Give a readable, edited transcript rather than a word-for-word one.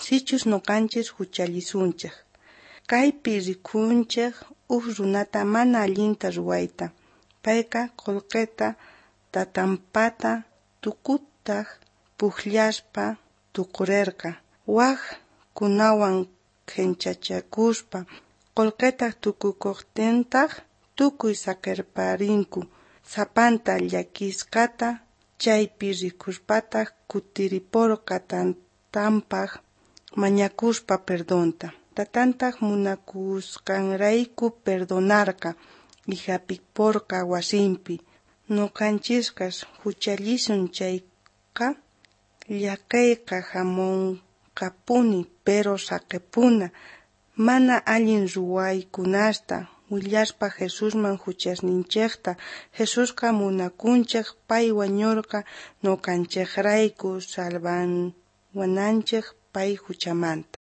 Sichus noqanchis juchallisunchej. Kaypi rikunchej uj runata mana allinta ruwayta. Payqa qolqeta tatanpata tukutaj pujllaspa tukurerqa. Waj kunawan qhenchachakuspa qolqetaj tukukojtintaj tukuy saqerparinku. Sapanta llakisqata chaypi rikuspataj kutiriporqa tatanpaj mañakuspa perdonta. Tatantaj munakusqanrayku perdonarqa y jap'iporqa wasinpi. Noqanchisqa juchallisun chayqa llakeyqa jamonqapuni, pero saqepuna mana allin ruwaykunasta willaspa Jesusman juchasninchejta. Jesusqa munakunchej, pay wañorqa noqanchejrayku salvawananchej pay juchamanta.